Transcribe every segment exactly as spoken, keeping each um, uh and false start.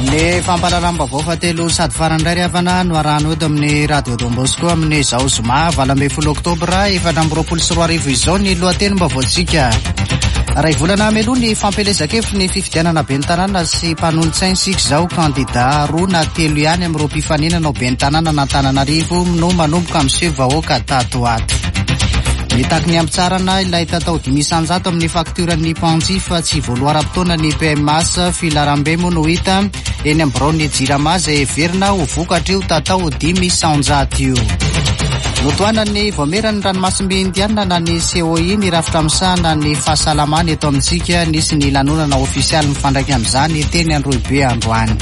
Ny fampahalalam-baovao fahatelo sady farany indray ry havana no arahana eto amin'ny Radio Don Bosco amin'izao zoma valo ambin'ny folo oktobra efatra amby roapolo sy roa arivo izao ny lohatenim-baovaontsika. Ray volana mialoha ny fampielezan-kevitry ny fifidianana ben'ny tanàna sy mpanolotsaina isika izao, kandida roa na telo ihany amin'ireo mpifaninana ho ben'ny tanàna an'Antananarivo no manomboka miseho vahoaka tato ato. Mitaky ny hampitsaharana ilay tatao dimy isanjato amin'ny faktioran'ny mpanjifa tsy voaloa ara-potoana ny P M A S. Filaharambe moa no hita eny amin'ny biraon'ny Jirama izay heverina ho vokatr'io tatao dimy isanjato io. Notohanan'ny vaomieran'ny ranomasimbe Indiana na ny C O I ny rafitra misahana ny fahasalamana eto amintsika. Nisy ny lanonana ofisialy mifandraika amin'izany teny Androhibe androany.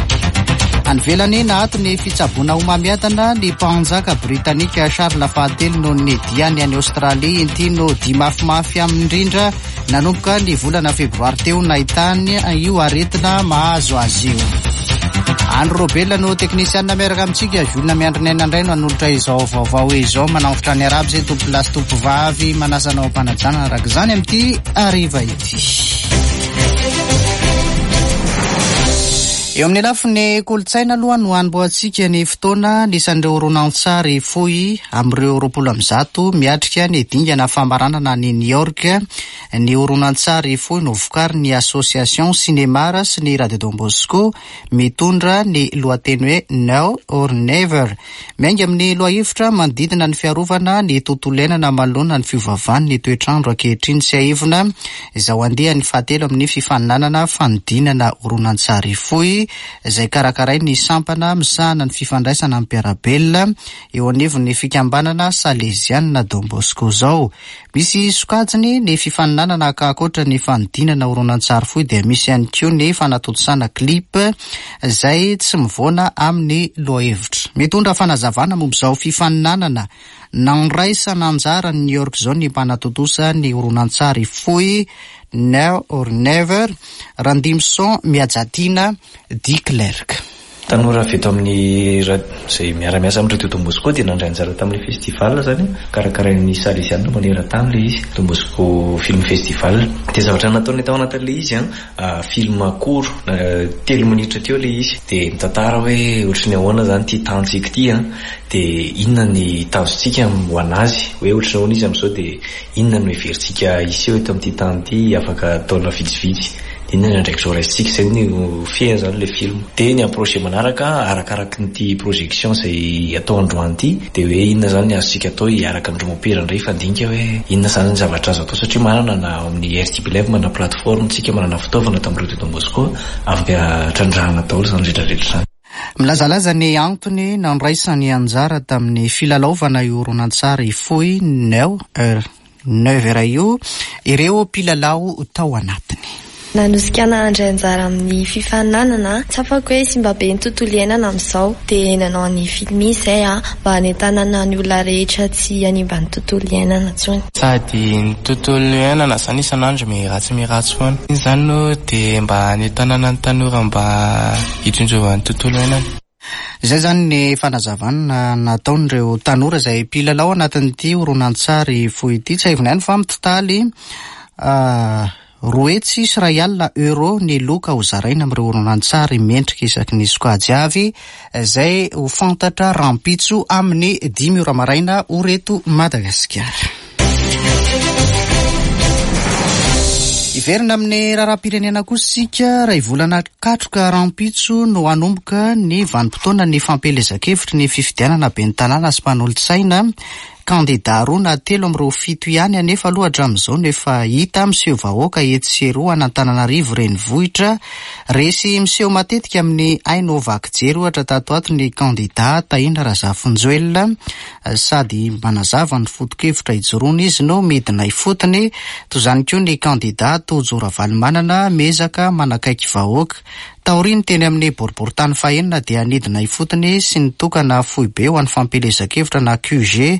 Any ivelany, naato ny fitsaboana homamiadana ny mpanjaka britanika Charles fahatelo noho ny diany any Australie. Inty no dia mafimafy amindrindra nanomboka ny volana febroary teo nahitany io aretina mahazo azy io. Andro Robela no teknisianina miaraka amintsika. Julina Miandry ny aina indray no hanolotra izao vaovao izao. Manafotra ny araby zay tompo lasy tompo vavy, manasanao ampanajana araka izany amin'ity ariva ity. Eo amin'ny lafiny kolontsaina aloha no anombohantsika ny fotoana. Nisan'ireo horonantsary fohy amin'ireo roapolo amby zato miatrika ny dingana famaranana ny New York ny horonantsary fohy no vokarin'ny Association Cinémar sy ny Radio Don Bosco, mitondra ny lohateny hoe Now or Never. Miainga amin'ny lohahevitra manodidina ny fiarovana ny tontolo iainana manoloana ny fiovan'ny toetrandro ankehitriny. Tsiahivina izao andiany fahatelo amin'ny fifaninanana fanodinana horonantsary fohy izay karakarain'ny sampana misahana ny fifandraisana amin'ny mpiara-belona eo anivon'ny fikambanana salezianina Don Bosco zao. Misy sokajiny ny fifaninanana ka ankoatra ny fanodinana horonantsary fohy dia misy ihany koa ny fanatontosana clip izay tsy mivoana amin'ny lohahevitra. Mitondra fanazavana momba izao fifaninanana nandraisana anjara ny New York zao ny mpanatontosa ny horonantsary fohy Now or Never, Randimson Miajatiana Di Clerc. Tanora avy eto amin'ny zay miara-miasa amin'ny Radio Don Bosco dia nandray anjara tamin'ilay festival zany karakarain'ny Salesianina maneran-tany le izy, Don Bosco Film Festival. Dia zavatra nataonay tao anatin'le izy a, film court telo minitra teo le izy, dia mitantara hoe ohatry ny ahoana zany ty tantsika ty a, dia inona ny tanjontsika ho anazy, hoe ohatry ny ahoana izy amin'izao, dia inona no heverintsika hiseho eto amin'ity tany ity afaka taona vitsivitsy, dia inona ny andraikitra ho raisintsika. Zay no fehiny zany le film. Dia ny projet manaraka arakaraky nyity projection zay atao androany ity, dia hoe inona zany ny azontsika atao hiaraka amin'ireo mopera indray, fandinika hoe inona zany ny zavatra azo atao, satria manana na amin'ny R T B Live, manana plateforme tsika, manana fitaovana tamin'ny Radio Don Bosco afaka trandrahana daholo zany rehetrarehetra zany. Milazalaza ny antony nandraisany anjara tamin'ny filalaovana io horonantsary fohy Now or Never io ireo mpilalao tao anatiny. Nanosika ana handray anjara amin'ny fifaninanana, tsapako hoe simba be ny tontolo iainana amin'izao, dia nanao ny film izay a mba hanentanana ny olona rehetra tsy hanimba ny tontolo iainana intsony. Sady ny tontolo iainana zany isan'andro miratsy miratsy foana iny zany no dia mba hanentanana ny tanora mba hitsinjovany tontolo iainana. Izay zany ny fanazavana nataon'ireo tanora izay mpilalao anatin'ity horonantsary fohy ity. Tsiahivina ihany fa mitotaly roa hetsy sy iray alina euro ny loka ho zaraina amin'ireo horonantsary mendrika isaky ny sokajy avy, izay ho fantatra rahampitso amin'ny dimy ora maraina ora eto Madagasikara. Iverina amin'ny raharaham-pirenena kosa isika. Ray volana katroka rahampitso no hanomboka ny vanim-potoana ny fampielezan-kevitry ny fifidianana ben'ny tanàna sy mpanolotsaina. Kandida roa na telo amin'ireo fito ihany anefa aloha hatramin'izao no efa hita miseho vahoaka etsy sy eroa an'Antananarivo renivohitra. Resy miseho matetika amin'ny haino vaky jery ohatra tato ato ny kandida Tahina Razafinjoelina. Sady manazava ny foto-kevitra ijoroana izy no midina ifotony. Toy izany koa ny kandida Tojo Ravalomanana, miezaka manakaiky vahoaka. Taoriany teny amin'ny boriborintany fahenina dia nidina ifotony sy nitokana foibe ho an'ny fampielezan-kevitra na Q G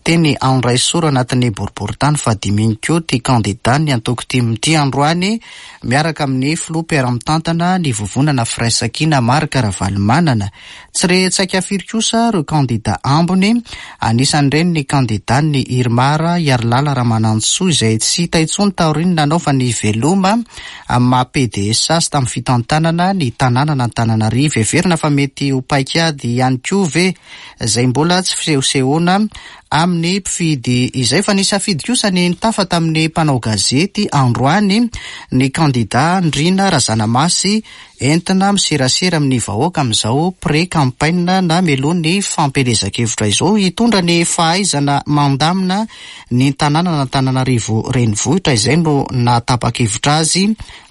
teny Andraisoro anatin'ny boriborintany fahadimy iny koa ty kandida ny antoko TIM ity androany, miaraka amin'ny filoha mpiara-mitantana ny vovonana Firaisankina Marc Ravalomanana. Tsy re tsaika firy kosa ireo kandida ambony, anisan'ireny ny kandida ny IRMAR Harilala Ramanantsoa, izay tsy hita intsony taoriany nanaovany veloma amin'ny maha P D S azy tamin'ny fitantanana. fitantanana ny tanànan'Antananarivo. Heverina fa mety ho paikady ihany koa ve izay mbola tsy fisehosehoana amin'ny mpifidy izay. Fa nisafidy kosa ny nitafa tamin'ny mpanao gazety androany ny kandida Ndrina Razanamasy, entina miserasera amin'ny vahoaka amin'izao pré-campagne na mialoha ny fampielezan-kevitra izao, hitondra ny fahaizana mandamina ny tanànan'Antananarivo renivohitra. Izay no nahatapa-kevitra azy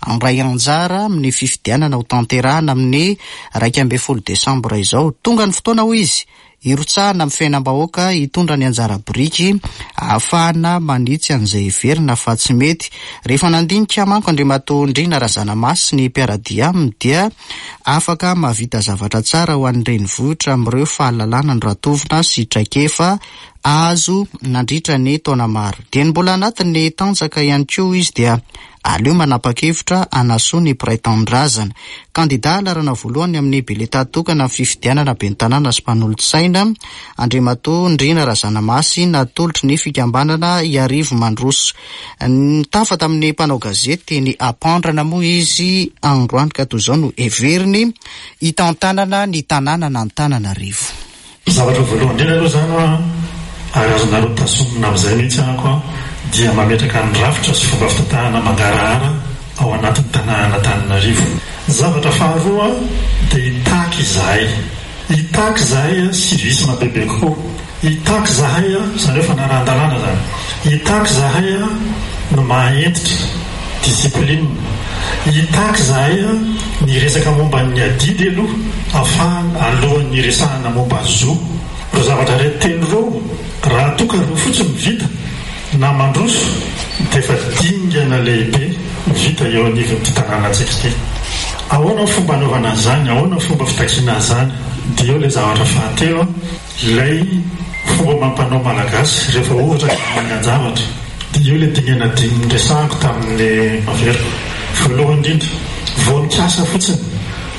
handray anjara amin'ny fifidianana ho tanterahana amin'ny iraika ambin'ny folo desambra izao. Tonga ny fotoana, hoy izy, hirotsahana amin'ny fiainam-bahoaka, hitondra ny anjara biriky ahafahana manitsy an'izay heverina fa tsy mety. Rehefa nandinika manko Andriamatoa Ndrina Razanamasy ny mpiara-dia aminy dia afaka mahavita zavatra tsara ho an'ny renivohitra amin'ireo fahalalana noratovina sy traikefa azo nandritra ny taona maro. Dia ny mbola anatin'ny tanjaka ihany koa izy dia aleo manapa-kevitra hanasoa ny mpiray tanindrazana. Kandida laharana voalohany amin'ny bileta tokana amin'ny fifidianana ben'ny tanàna sy mpanolotsaina Andriamatoa Ndrina Razanamasy, natolotry ny fikambanana Iarivo Mandroso. Nitafa tamin'ny mpanao gazety ny Ampandrana moa izy androany ka toy izao no heveriny hitantanana ny tanànan'Antananarivo. Zavatra voalohany indrindra aloha izany an, ary azonareo tazomina amin'izay mihitsy ahako an, dia mametraka ny rafitra sy fomba fitantanana mangarahara ao anatin'ny tanànan'Antananarivo. Zavatra faharoa dia hitaky izahay. Hitaky izahay civisme bebe kokoa. Hitaky izahay, izany hoe fanarahan-dalàna izany. Hitaky izahay no maha-hentitra, discipline. Hitaky izahay ny resaka momba ny adidy aloha, ahafahana alohan'ny hiresahana momba ny zo. Ireo zavatra reto telo ireo, raha toa ka ireo fotsiny no vita na mandroso, dia efa dingana lehibe vita eo anivon'ity tanànantsika ity. Ahoana ny fomba anaovana an'izany? Ahoana ny fomba fitakiana an'izany? Dia eo ilay zavatra fahatelo, ilay fomba amam-panao malagasy rehefa ohatra ka mangan-javatra. Dia eo ilay dingana dimy niresahako tamin'ny averiko. Voalohany indrindra, vao nikasa fotsiny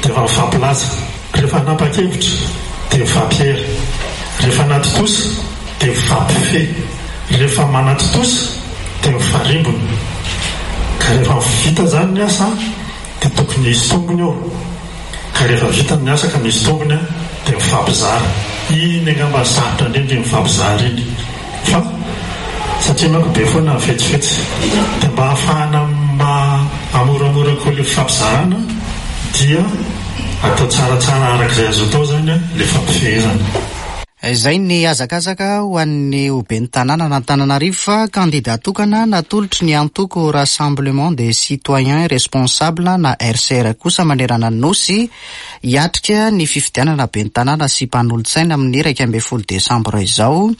dia efa mifampilaza. Rehefa hanapa-kevitra dia mifampiera. Rehefa anatontosa dia mifampifehy. Rehefa manatontosa dia mifarimbona. Ka rehefa vita izany ny asa dia tokony hisy tombony eo. Ka rehefa vita ny asa ka misy tombony dia mifampizara. Iny angamba ny sarotra indrindra iny mifampizara iny. Fa satria manko be foana ny fetsifetsy dia mba ahafahana mahamoramora koa ilay fifampizarana dia atao tsaratsara araka izay azo atao izany ilay fampifehezana. Izay ny hazakazaka ho an'ny ho ben'ny tanànan'Antananarivo fa kandida tokana natolotry ny antoko Rassemblement des Citoyens Responsables na R C R kosa manerana ny Nosy hiatrika ny fifidianana ben'ny tanàna sy mpanolotsaina amin'ny iraika ambin'ny folo desambra izao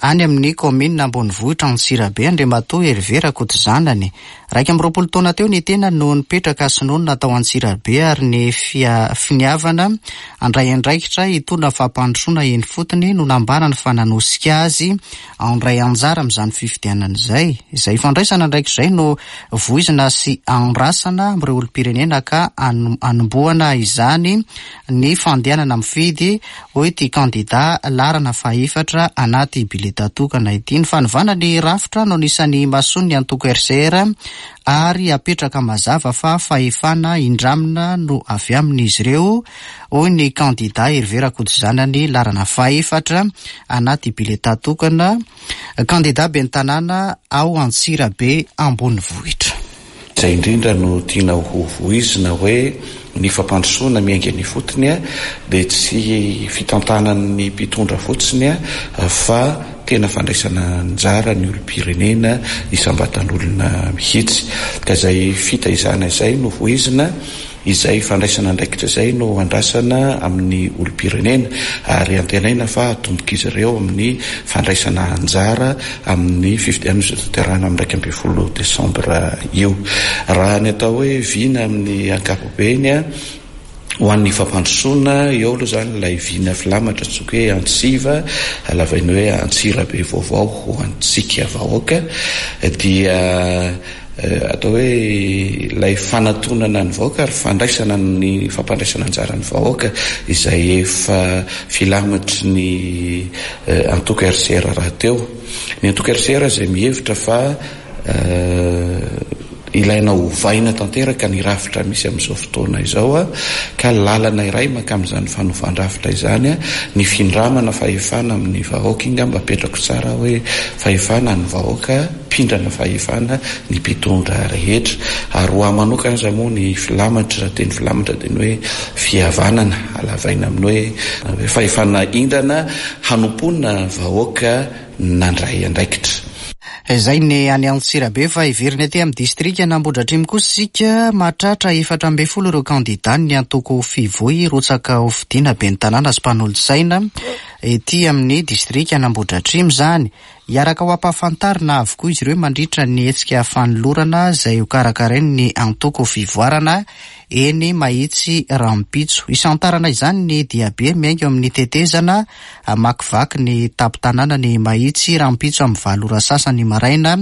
any amin'ny kaominina ambonivohitra Antsirabe Andriamatoa Hervé Rakotozanany. Iraika amby roapolo taona teo ny tena no nipetraka sy nonina tao Antsirabe ary ny fia-, finiavana handray andraikitra hitondra fampandrosoana eny fotony no nambarany fa nanosika azy handray anjara amin'izany fifidianana izay. Izay fandraisana andraikitra izay no voizina sy andrasana amin'ireo olom-pirenena ka ano-, anombohana izany ny fandehanana mifidy, hoy ity kandida laharana fahefatra anaty bileta tokana ity. Ny fanovana ny rafitra no anisan'ny mason'ny antoko R C R ary apetraka mazava fa fahefana indramina no avy amin'izy ireo, hoy ny kandida Hervé Rakotozanany laharana fahefatra anaty bileta tokana, kandida ben'ny tanàna ao Antsirabe ambonivohitra. Izay indrindra no tiana ho voizina hoe ny fampandrosoana miainga ny fotony a, dia tsy fitantanan'ny mpitondra fotsiny a, fa tena fandraisana anjara ny olom-pirenena isam-batan'olona mihitsy. Ka izay fitaizana izay no voizina, izay fandraisana andraikitra izay no andrasana amin'ny olom-pirenena ary antenaina fa hatomboka izy ireo amin'ny fandraisana anjara amin'ny fifidianana izay tanterahina amin'ny iraika ambin'ny folo desambra io. Raha ny atao hoe vina amin'ny ankapobeny a, ho an'ny fampandrosoana eo aloha izany ilay vina filamatra antsoiko hoe Antsiva, lavaina hoe Antsirabe vaovao ho antsika vahoaka, dia atao hoe ilay fanatonana ny vahoaka ary fandraisana ny fampandraisana anjara ny vahoaka izay efa filamatry ny antoko R C R rahateo. Ny antoko R C R izay mihevitra fa Ilaina hovaina tanteraka ny rafitra misy amin'izao fotoana izao a, ka lalana iray maka amin'izany fanovan-drafitra izany a ny findramana fahefana amin'ny vahoaka. Inga mba apetrako tsara hoe fahefana ny vahoaka, mpindrana fahefana ny mpitondra rehetra. Ary ho ahy manokana aza moa ny filamatra, teny filamatra dia ny hoe fihavanana, alavaina amin'ny hoe fahefana indrana hanompoana vahoaka nandray andraikitra. Izay ny any Antsirabe, fa hiverina aty amin'ny distrika Nambodratrimo kosa isika. Mahatratra efatra ambin'ny folo ireo kandida ny antoko Fivoy rotsaka ho fidiana ben'ny tanàna sy mpanolotsaina ety amin'ny distrika Nambodratrimo izany. Hiaraka ho ampahafantarina avokoa izy ireo mandritra ny hetsika fanolorana izay ho karakarain'ny antoko Fivoarana eny Mahitsy rahampitso. Isantarana izany ny diabe miainga eo amin'ny tetezana hamakivaky ny tampon-tanàna ny Mahitsy rahampitso amin'ny valo ora sasany maraina,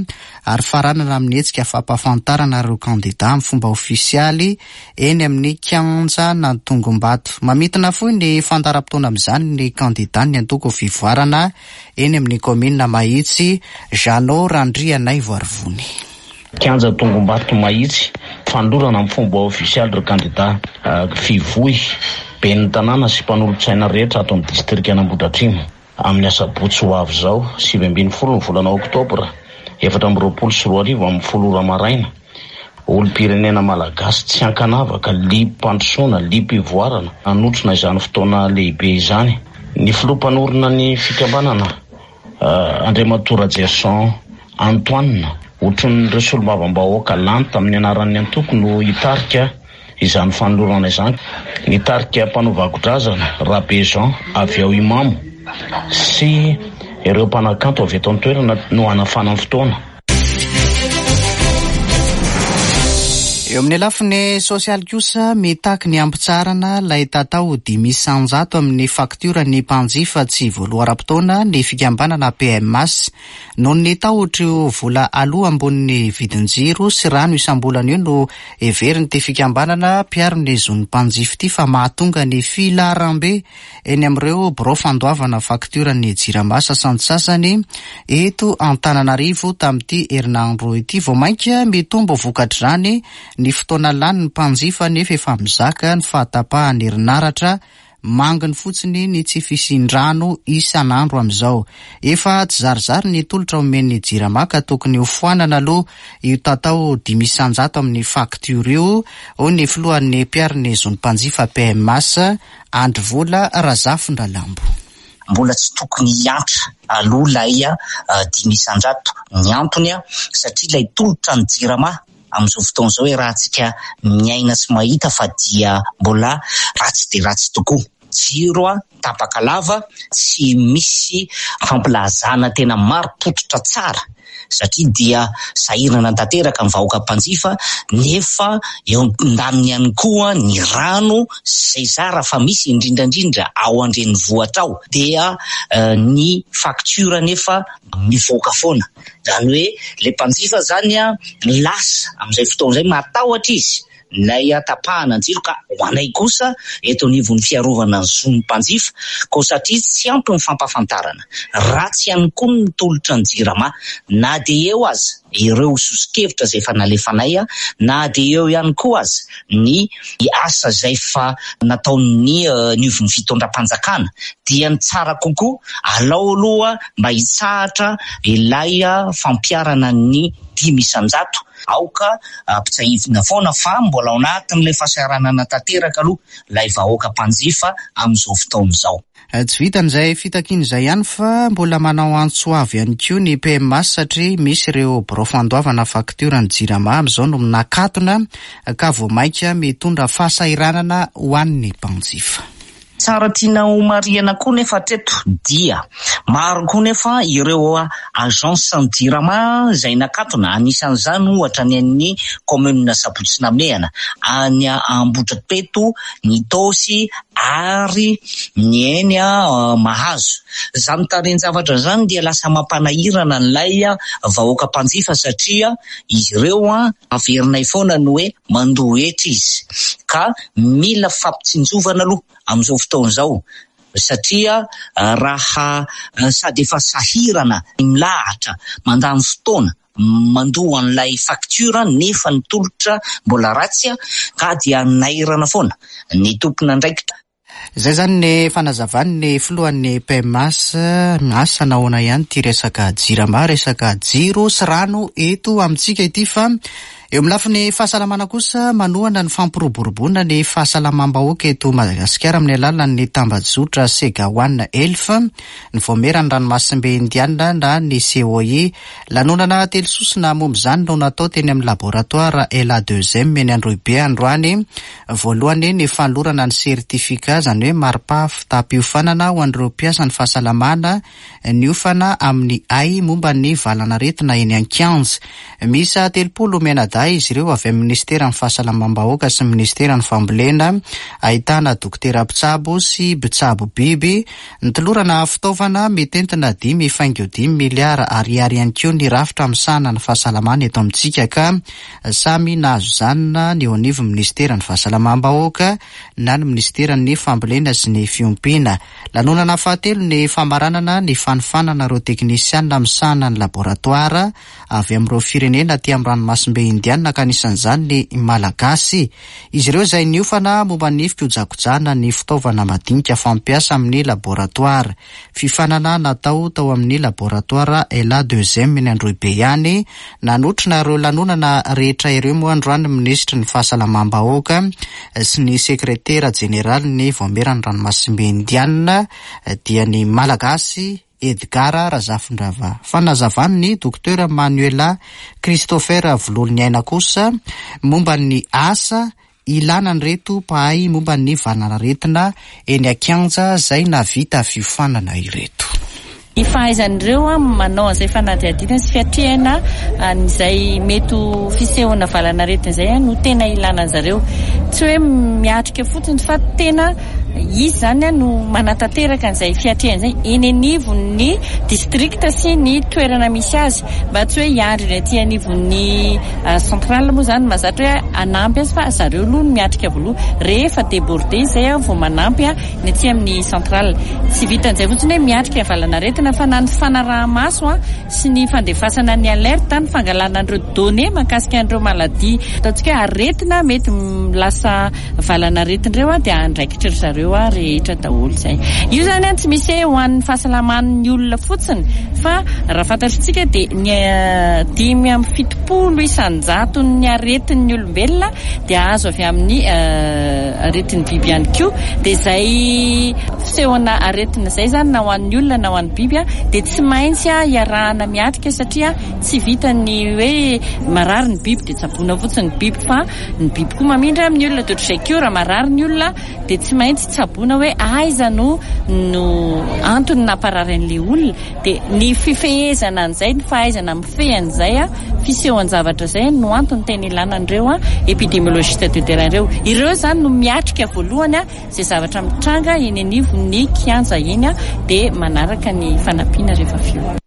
ary faranana amin'ny hetsika fampahafantarana ireo kandida amin'ny fomba ofisialy eny amin'ny kianja Nantongombato. Mamintina fohy ny fandaharam-potoana amin'izany ny kandida ny antoko Fivoarana eny amin'ny kaominina Mahitsy, Jeannot Randrianaivoarivony. Kianja Tongombato Mahitsy, fanolorana amin'ny fomba ofisialy ireo kandida Fivoy, ben'ny tanàna sy mpanolotsaina rehetra ato amin'ny distrika Nambodratrimo. Amin'ny asabotsy ho avy izao, sivy ambin'ny folo ny volana oktobra efatra amby roapolo sy roa arivo amin'ny folo ora maraina, olom-pirenena malagasy tsy ankanavaka, liam-pandrosoana, liam-pivoarana, hanotrona izany fotoana lehibe izany. Ny filoha mpanorina ny fikambanana, Andriamatoa Rajerison Antoine, otronin'ireo solombavambahoaka lany tamin'ny anaran'ny antoko no hitarika izany fanolorana izany. Nitarika mpanao vakodrazana Rabe Jean avy ao Imamo sy ireo mpanakanto avy eto an-toerana no hanafana ny fotoana. Eo amin'ny lafiny sosialy kosa, mitaky ny hampitsaharana ilay tatao dimy isanjato amin'ny faktiora ny mpanjifa tsy voaloa ara-potoana ny fikambanana P M A S. Noho ny tahotra io vola aloha ambonin'ny vidin-jiro sy rano isam-bolana io no heverin'ity fikambanana mpiaro ny zon'ny mpanjifa ity fa mahatonga ny filaharambe eny amin'ireo birao fandoavana faktiora ny Jirama sasantsasany eto Antananarivo tamin'ity herinandro ity. Vao mainka mitombo vokatr'izany ny fotoana lany ny mpanjifa nefa efa mizaka ny fahatapahan'ny herinaratra, manginy fotsiny ny tsy fisian-drano isan'andro amin'izao. Efa tsy zarizary ny tolotra omen'ny Jirama ka tokony ho foanana aloha io tatao dimy isanjato amin'ny faktiora io, hoy ny filohan'ny mpiaro ny zon'ny mpanjifa P M A S, Andry Vola Razafindralambo. Mbola tsy tokony hiantra aloha ilay dimy isanjato. Ny antony a, satria ilay tolotra ny Jirama amin'izao fotoana izao hoe raha tsika miaina sy mahita fa dia mbola ratsy dia ratsy tokoa. Jiro a, tapaka lava, tsy misy fampilazana tena marim-pototra tsara, satria dia sahirana tanteraka ny vahoaka mpanjifa, nefa eo an-daniny ihany koa ny rano izay zara fa misy indrindrandrindra ao an-drenivohitra ao, dia ny faktiora nefa mivoaka foana. Izany hoe ilay mpanjifa zany a, lasa amin'izay fotoana izay matahotra izy ilay tapahana ny jiro, ka ho anay kosa eto anivon'ny fiarovana ny zon'ny mpanjifa, koa satria tsy ampy ny fampahafantarana, ratsy ihany koa ny tolotra ny Jirama, na dia eo aza ireo soso-kevitra izay efa nalefanay, na dia eo ihany koa aza ny asa izay efa nataon'ny nivon'ny fitondram-panjakana, dia ny tsara kokoa alao aloha mba hitsahatra ilay fampiharana ny dimy isanjato. Aoka ampitsahivina foana fa mbola ao anatin'ilay fahasahiranana tanteraka aloha ilay vahoaka mpanjifa amin'izao fotoana izao. Tsy vitan'izay fitakiana izay ihany fa mbola manao antso avo ihany koa ny P M A S satria misy ireo birao fandoavana faktiora ny Jirama amin'izao no nakatona ka vao mainka mitondra fahasahiranana ho an'ny mpanjifa. Tsara tiana ho marihana koa nefa hatreto dia maro koa nefa ireo agence ny Jirama izay nakatona, anisan'izany ohatra ny an'ny commune Sabotsy Namehana, any Ambohidrapeto, ny Itaosy ary ny eny Mahazo. Izany tarehin-javatra izany dia lasa mampanahirana an'ilay vahoaka mpanjifa satria izy ireo averinay foana ny hoe mandoa hetra izy, ka mila fampitsinjovana aloha amin'izao fotoana izao, satria raha sady efa sahirana milahatra mandany fotoana Mandoa an'ilay facture nefa ny tolotra mbola ratsy, ka dia nairana foana ny tompon'andraikitra. Izay izany ny fanazavan'ny filohan'ny P M H. Asa nahoana ihany ity resaka Jirama, resaka jiro sy rano eto amintsika ity. Fa eo amin'ny lafiny fahasalamana kosa, manohana ny fampiroboroboana ny fahasalamam-bahoaka eto Madagasikara amin'ny alalan'ny tambajotra Sega One Health ny Vaomieran'ny Ranomasimbe Indiana na ny C O I. Lanonana telo sosona momba izany no natao teny amin'ny laboratoire L A deux M eny Androhibe androany. Voalohany ny fanolorana ny certificat, zany hoe mari-pahavitam-piofanana ho an'ireo mpiasa ny fahasalamana niofana amin'ny ay momba ny valan'aretina eny an-kianja. Misy telopolo mianadahy izy ireo avy amin'ny ministeran'ny fahasalamam-bahoaka sy ministeran'ny fambolena, ahitana dokotera mpitsabo sy mpitsabo biby. Nitolorana fitaovana mitentina dimy faingo dimy miliara ariary ihany koa ny rafitra misahana ny fahasalamana eto amintsika, ka samy nahazo izany na ny eo anivo ministeran'ny fahasalamam-bahoaka na ny ministeran'ny fambolena sy ny fiompiana. Lanonana fahatelo ny famaranana ny fanofanana ireo teknisianina misahana ny laboratoire avy amin'ireo firenena aty amin'ny Ranomasimbe Indiana, ka anisan'izany ny Malagasy izy ireo izay niofana momba ny fikojakojana ny fitaovana madinika fampiasa amin'ny laboratoire. Fiofanana natao tao amin'ny laboratoire L A deux M eny Androhibe ihany. Nanotrona ireo lanonana rehetra ireo moa androany minisitry ny fahasalamam-bahoaka sy ny sekretera jeneraly ny Vaomieran'ny Ranomasimbe Indiana, dia ny Malagasy Edgar Razafindrava. Fanazavany ny docteur Manuela Christopher Vololony aina kosa momba ny asa ilana ny reto mpahay momba ny valan'aretina eny an-kianja zay navita fiofanana ireto. Ny fahaizan'ireo a manao an'izay fanadihadiana sy fiatrehana an'izay mety fisehona valan'aretina izay a no tena ilana zareo. Tsy hoe miatrika fotsiny fa tena izy zany a no manatanteraka an'izay fiatrehana izay eny anivon'ny district sy ny toerana misy azy, mba tsy hoe hiandry ny aty anivon'ny centrale moa zany mahazatra hoe anampy azy, fa zareo aloha no miatrika voaloha. Rehefa débordé zay a vao manampy a ny aty amin'ny centrale. Tsy vitan'izay fotsiny hoe miatrika valan'aretina, fa na ny fanaraha-maso a sy ny fandefasana ny alerte, ny fangalana an'ireo données mahakasika an'ireo maladie, ataontsika hoe aretina mety lasa valan'aretina ireo a dia andraikitra ry zareo a rehetra daholo zay. Io zany a tsy misy hoe ho an'ny fahasalaman'ny olona fotsiny, fa raha fantatritsika dia ny dimy amin'ny fitopolo isanjato ny aretin'ny olombelona dia azo avy amin'ny aretin'ny biby ihany koa. Dia zay fisehona aretina zay zany, na ho an'ny olona na ho an'ny biby a dia tsy maintsy a iarahana miatrika, satria tsy vita ny hoe marary ny biby dia tsaboina fotsiny ny biby, fa ny biby koa mamindra amin'ny olona. Dia ohatr'izay koa, raha marary ny olona dia tsy maintsy tsaboina hoe aiza no no antony namparary an'ilay olona. Dia ny fifehezana an'izay, ny fahaizana mifehy an'izay a fisehoan-javatra zay no antony tena ilana an'ireo a épidémiologiste de terrain ireo. Ireo zany no miatrika voalohany a zay zavatra mitranga eny anivon'ny kianja eny a dia manaraka ny fanampiana rehefa avy eo.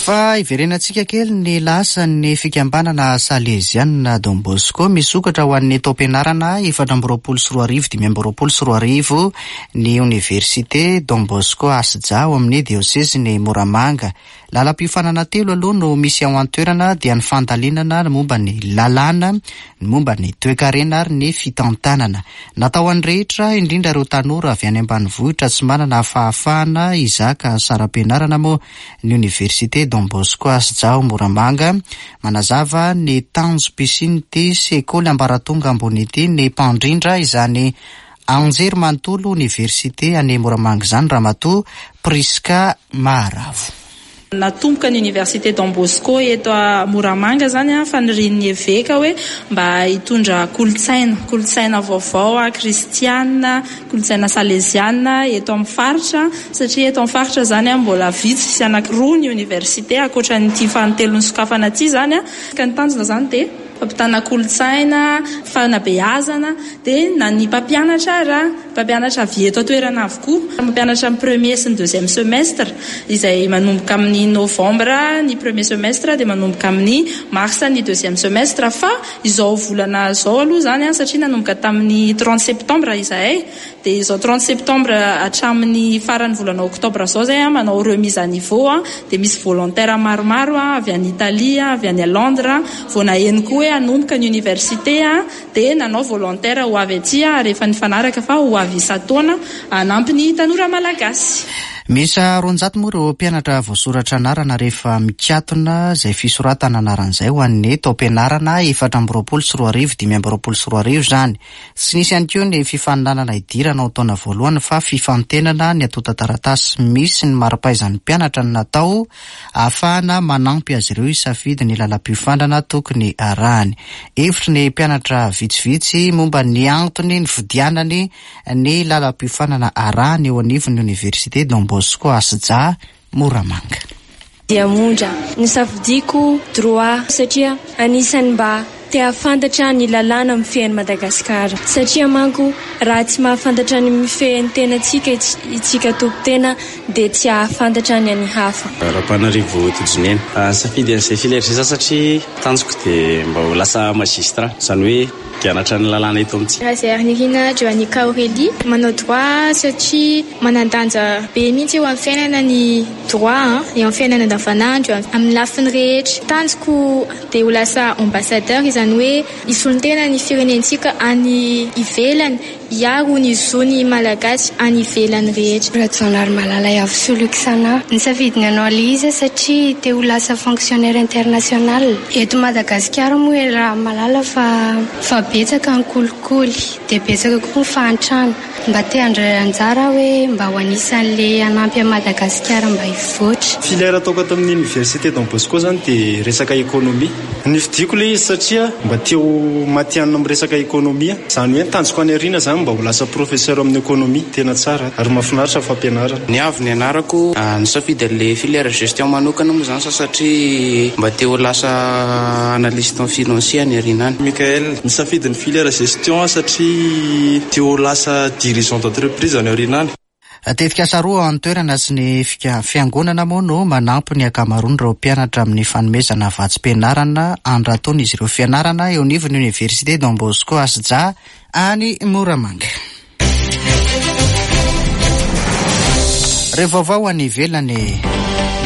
Fa iverenantsika kely ny lasan'ny fikambanana Salezianina Don Bosco. Misokatra ho an'ny taom-pianarana efatra amby roapolo sy roa arivo dimy amby roapolo sy roa arivo ny oniversite Don Bosco Asja ao amin'ny diosezy ny Moramanga. Lalam-piofanana telo aloha no misy ao an-toerana, dia ny fandalinana ny momba ny lalàna, ny momba ny toekarena ary ny fitantanana. Natao an'ny rehetra, indrindra ireo tanora avy any ambanivohitra tsy manana fahafahana hizaka saram-pianarana moa ny oniversite Don Bosco Asja ao Moramanga. Manazava ny tanjom-pisian'ity sekoly ambaratonga ambony ity ny mpandrindra izany anjery manontolo oniversite any Moramanga izany, Ramatoa Priska Maharavo. Natomboka ny université Don Bosco eto a Moramanga zany a fanirian'ny eveka hoe mba hitondra kolotsaina kolotsaina vaovao a kristiana, kolotsaina saleziana eto amin'ny faritra, satria eto amin'ny faritra zany a mbola vitsy sy anankiroa ny université ankoatra nyity fanintelony sokafana aty zany a. Ka ny tanjona zany dia fampitana kolotsaina, fanabeazana, dia na ny mpampianatra raha mpampianatra avy eto an-toerana avokoa, mampianatra amin'ny premier sy ny deuxième semestre izay manomboka amin'ny novembre ny premier semestre, dia manomboka amin'ny mars ny deuxième semestre. Fa izao volana zao aloha zany a satria nanomboka tamin'ny trente septembre izahay. Dia izao trente septembre hatramin'ny faran'ny volana oktobra izao izay manao remise à niveau, dia misy volontaire maromaro avy any Italie, avy any Londres, vao naheno koa hoe hanomboka ny université, dia nanao volontaire ho avy aty ary efa nifanaraka fa ho avy isan-taona hanampy ny tanora malagasy. Miisa roanjato moa ireo mpianatra voasoratra anarana rehefa mikatona izay fisoratana anaran'izay ho an'ny taom-pianarana efatra amby roapolo sy roa arivo dimy amby roapolo sy roa arivo izany. Tsy nisy ihany koa ny fifaninanana hidirana ao taona voalohany fa fifantenana ny antontan-taratasy misy ny mari-pahaizan'ny mpianatra no natao ahafahana manampy azy ireo hisafidy ny lalam-piofanana tokony arahany. Hevitry ny mpianatra vitsivitsy momba ny antony nividianany ny lalam-piofanana arahany eo anivon'ny Université Don Bosco Asja Moramanga. Diamondra, nisafidiko droit satria anisan'ny mba te hahafantatra ny lalàna mifehy an'i Madagasikara, satria manko raha tsy mahafantatra ny mifehy ny tenantsika itsika tompon-tena dia tsy hahafantatra ny an'ny hafa. Rapanarivo Tojinena, nisafidy an'izay filière izay za satria tanjoko dia mba ho lasa magistrat, izany hoe mpianatra ny lalàna eto amintsika. Razernirina Joannica Aurélie, manao droit satria manan-danja be mihitsy eo amin'ny fiainana ny droit, eo amin'ny fiainana andavanandro, amin'ny lafiny rehetra. Tanjoko dia ho lasa ambassadeur, izany hoe hisolo-tena ny firenentsika any ivelany, hiaro ny zon'ny malagasy any ivelany rehetra. Rajaonary Iavosoloxana, nisafidy ny hanao ilay izy satria te ho lasa fonctionnaire international. Eto Madagasikara moa raha mahalala fa fa betsaka ny kolikoly, dia betsaka koa ny fahantrana. Mba te handray anjara hoe mba ho anisan'ilay hanampy an'i Madagasikara mba hivoatra. Filière ataoko ato amin'ny Université Don Bosco zany dia resaka économie. Nifidiko ilay izy satria mba te ho matihanina amin'ny resaka économie. Izany hoe tanjoko any aoriana zany mba ho lasa professeur amin'ny économie, tena tsara ary mahafinaritra fampianarana. Ny avy ny anarako, nisafidy an'ilay filière gestion manokana moa zany satria mba te ho lasa analyste financier any aoriana any. Michael, nisafidy ny filière gestion satria te ho lasa dirigeant d'entreprise any aoriana any. Tetikasa roa an-toerana sy ny fiangonana moa no manampy ny ankamaroan'ireo mpianatra amin'ny fanomezana vatsim-pianarana andratoan'izy ireo fianarana eo anivon'ny Université Don Bosco Asja any Moramanga. Ireo vaovao any ivelany.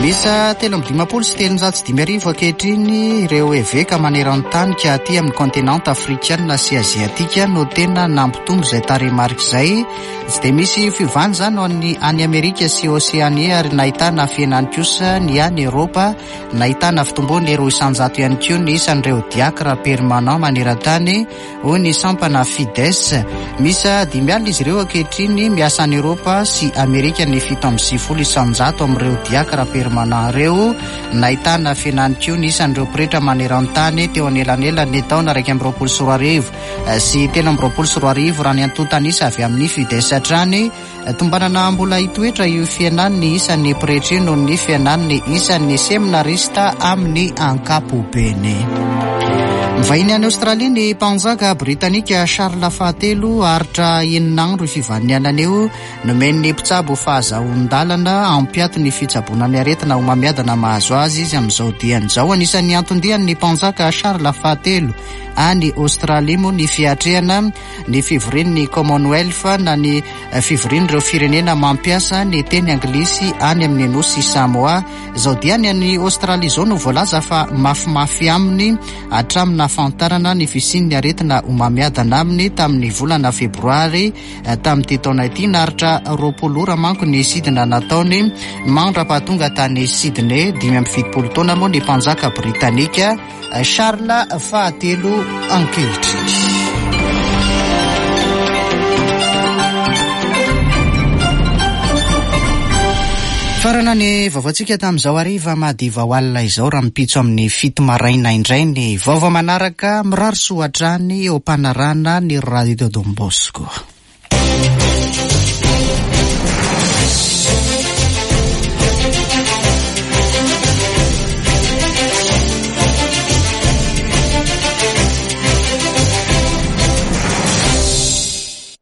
Miisa telo amby dimampolo sy telonjato sy dimy arivo ankehitriny ireo eveka maneran-tany ka aty amin'ny kontinanta afrikana sy aziatika no tena nampitombo izay tarehimarika izay. Tsy dia misy fiovana izany ho an'ny any Amerika sy Oseania ary nahitana fihenany kosa ny any Eropa. Nahitana fitomboany roa isanjato ihany koa ny isan'ireo diakra permanent maneran-tany hoy ny sampana Fides. Miisa dimy alina izy ireo ankehitriny miasa any Eropa sy Amerika ny fito amby sivifolo isanjato amin'ireo diakra permanent ireo. Nahitana fihenany koa ny isan'ireo pretra maneran-tany teo anelanelan'ny taona iraika amby roapolo sy roa arivo sy telo amby roapolo sy roa arivo raha ny antontan'isa avy amin'ny Fides hatrany. Tombanana mbola hitoetra io fihenan'ny isan'ny pretra io noho ny fihenan'ny isan'ny seminarista amin'ny ankapobeny. Mivahiny any Aostralia ny mpanjaka britanika Charles fahatelo aritra enina andro fivahinianana eo. Nomen'ny mpitsabo fahazoan-dalana hampiato ny fitsaboana ny aretina homamiadana mahazo azy izy amin'izao diany izao. Anisan'ny anton-dian'ny mpanjaka Charles fahatelo any Aostralia moa ny fiatrehana ny fivorian'ny Commonwealth na ny fivorian'ireo firenena mampiasa ny teny anglisy any amin'ny nosy Samoa. Izao diany any Aostralia izao no voalaza fa mafimafy aminy hatramin'ny nahafantarana ny fisian'ny aretina homamiadana aminy tamin'ny volana febroary tamin'ity taona ity. Naharitra roapolo ora manko ny sidina nataony mandra-pahatonga tany Sydney. Dimy amby fitopolo taona moa ny mpanjaka britanika Charles fahatelo ankehitriny. Farana ny vaovaontsika tamin'izao hariva madiva ho alina izao raha mipitso amin'ny fito maraina indray ny vaovao manaraka. Mirary soa hatrany eo am-panarahana ny Radio Don Bosco.